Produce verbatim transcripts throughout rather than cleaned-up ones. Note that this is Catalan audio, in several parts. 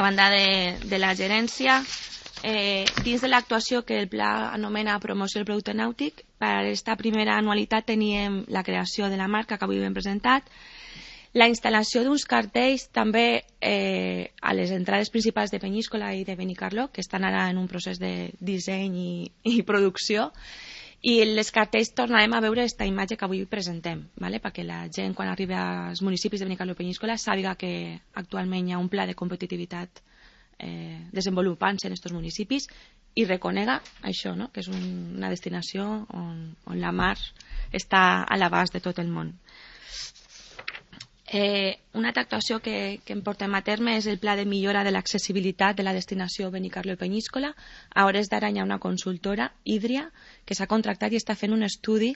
a banda de, de la gerència, eh, dins de l'actuació que el pla anomena promoció del producte nàutic, per a aquesta primera anualitat teníem la creació de la marca que avui hem presentat, la instal·lació d'uns cartells també eh, a les entrades principals de Peníscola i de Benicarló, que estan ara en un procés de disseny i, i producció, i les cartells tornarem a veure aquesta imatge que avui presentem, ¿vale? Perquè la gent quan arriba als municipis de Benicarló i Peníscola sàpiga que actualment hi ha un pla de competitivitat eh, desenvolupant-se en aquests municipis i reconega això, no? Que és un, una destinació on, on la mar està a l'abast de tot el món. Eh, una altra actuació que, que em portem a terme és el pla de millora de l'accessibilitat de la destinació Benicarló i Peníscola. A hores d'ara hi ha una consultora, Hídria, que s'ha contractat i està fent un estudi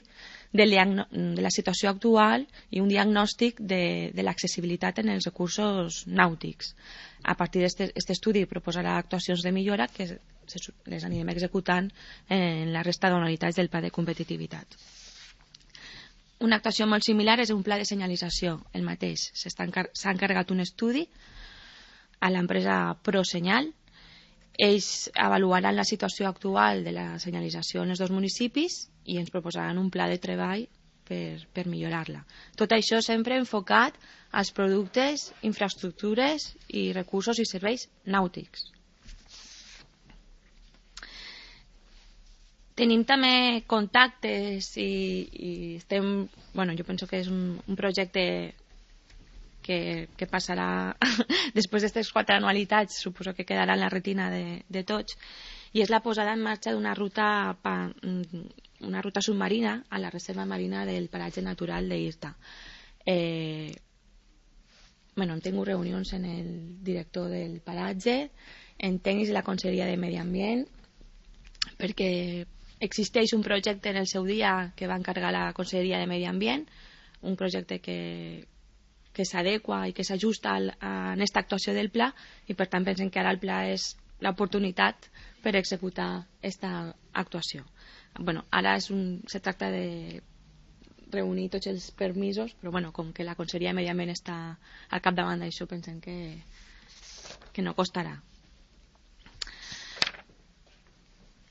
de, de la situació actual i un diagnòstic de, de l'accessibilitat en els recursos nàutics. A partir d'aquest estudi proposarà actuacions de millora que les anirem executant en la resta d'anualitats del pla de competitivitat. Una actuació molt similar és un pla de senyalització, el mateix. S'ha encarregat un estudi a l'empresa ProSenyal. Ells avaluaran la situació actual de la senyalització en els dos municipis i ens proposaran un pla de treball per, per millorar-la. Tot això sempre enfocat als productes, infraestructures i recursos i serveis nàutics. Tenim també contactes i, i estem, bueno, jo penso que és un, un projecte que, que passarà després d'aquestes quatre anualitats, suposo que quedarà en la retina de, de tots, i és la posada en marxa d'una ruta, una ruta submarina a la reserva marina del paratge natural d'Irta. Eh, bueno, hem tingut reunions en el director del paratge, en tècnics de la Conselleria de Medi Ambient, perquè existeix un projecte en el seu dia que va encarregar la Conselleria de Medi Ambient, un projecte que, que s'adequa i que s'ajusta a aquesta actuació del pla i per tant pensem que ara el pla és l'oportunitat per executar aquesta actuació. Bueno, ara és un, se tracta de reunir tots els permisos, però bueno, com que la Conselleria de Medi Ambient està al capdavant d'això pensem que, que no costarà.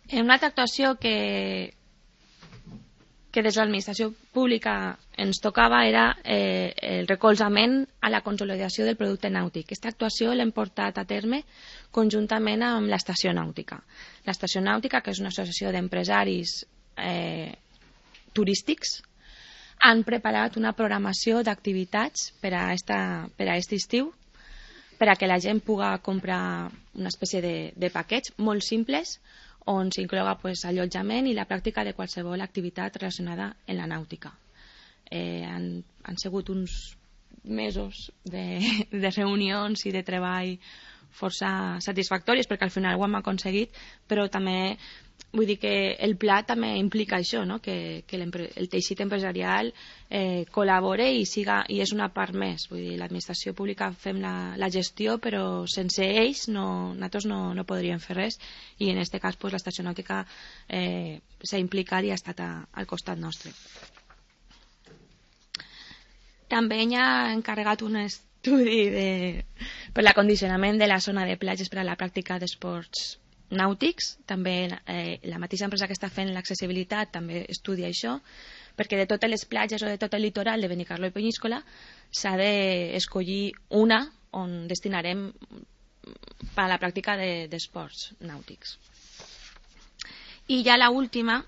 En una altra actuació que, que des de l'administració pública ens tocava era eh, el recolzament a la consolidació del producte nàutic. Aquesta actuació l'hem portat a terme conjuntament amb l'Estació Nàutica. L'Estació Nàutica, que és una associació d'empresaris eh, turístics, han preparat una programació d'activitats per a aquest estiu per a que la gent pugui comprar una espècie de, de paquets molt simples on s'incloga pues, allotjament i la pràctica de qualsevol activitat relacionada amb la nàutica. Eh, han, han sigut uns mesos de, de reunions i de treball força satisfactòries perquè al final ho hem aconseguit, però també vull dir que el pla també implica això, no? que, que el teixit empresarial eh, col·labore i, siga, i és una part més. Vull dir, l'administració pública fem la, la gestió, però sense ells no, nosaltres no, no podríem fer res i en aquest cas pues, l'Estació Nàutica eh, s'ha implicat i ha estat a, al costat nostre. També hi ha encarregat un estudi de, per l'acondicionament de la zona de platges per a la pràctica d'esports nàutics. També eh, la mateixa empresa que està fent l'accessibilitat també estudia això, perquè de totes les platges o de tot el litoral de Benicarló i Peníscola s'ha d'escollir una on destinarem per a la pràctica d'esports de, nàutics. I ja l'última,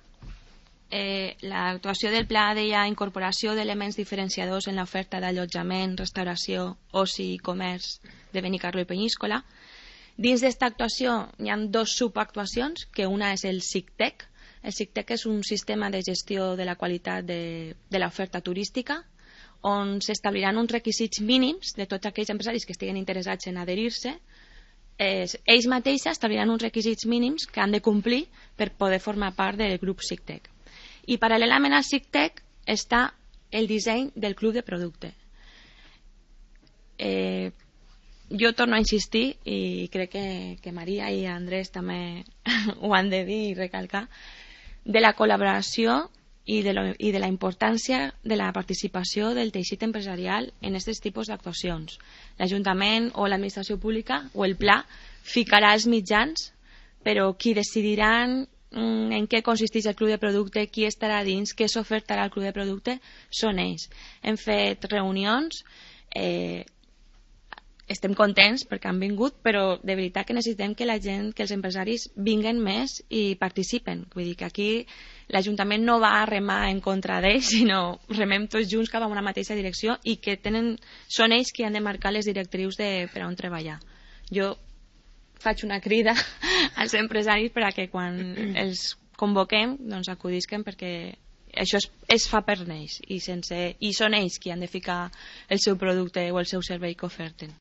eh, l'actuació del pla deia incorporació d'elements diferenciadors en l'oferta d'allotjament, restauració, oci i comerç de Benicarló i Peníscola. Dins d'esta actuació hi ha dues subactuacions, que una és el SICTEC. El SICTEC és un sistema de gestió de la qualitat de, de l'oferta turística, on s'establiran uns requisits mínims de tots aquells empresaris que estiguin interessats en adherir-se. Eh, ells mateixos establiran uns requisits mínims que han de complir per poder formar part del grup SICTEC. I paral·lelament al SICTEC està el disseny del club de producte. Eh, jo torno a insistir i crec que, que Maria i Andrés també ho han de dir i recalcar de la col·laboració i de, lo, i de la importància de la participació del teixit empresarial en aquests tipus d'actuacions. L'Ajuntament o l'administració pública o el pla ficarà els mitjans, però qui decidiran en què consisteix el club de producte, qui estarà dins, què s'ofertarà al club de producte, són ells. Hem fet reunions, eh, estem contents perquè han vingut, però de veritat que necessitem que la gent, que els empresaris vinguen més i participen. Vull dir que aquí l'Ajuntament no va a remar en contra d'ells, sinó remem tots junts cap a una mateixa direcció i que tenen, són ells qui han de marcar les directrius de per on treballar. Jo faig una crida als empresaris per a que quan els convoquem doncs acudisquen, perquè això es, es fa per ells i, sense, i són ells qui han de ficar el seu producte o el seu servei que oferten.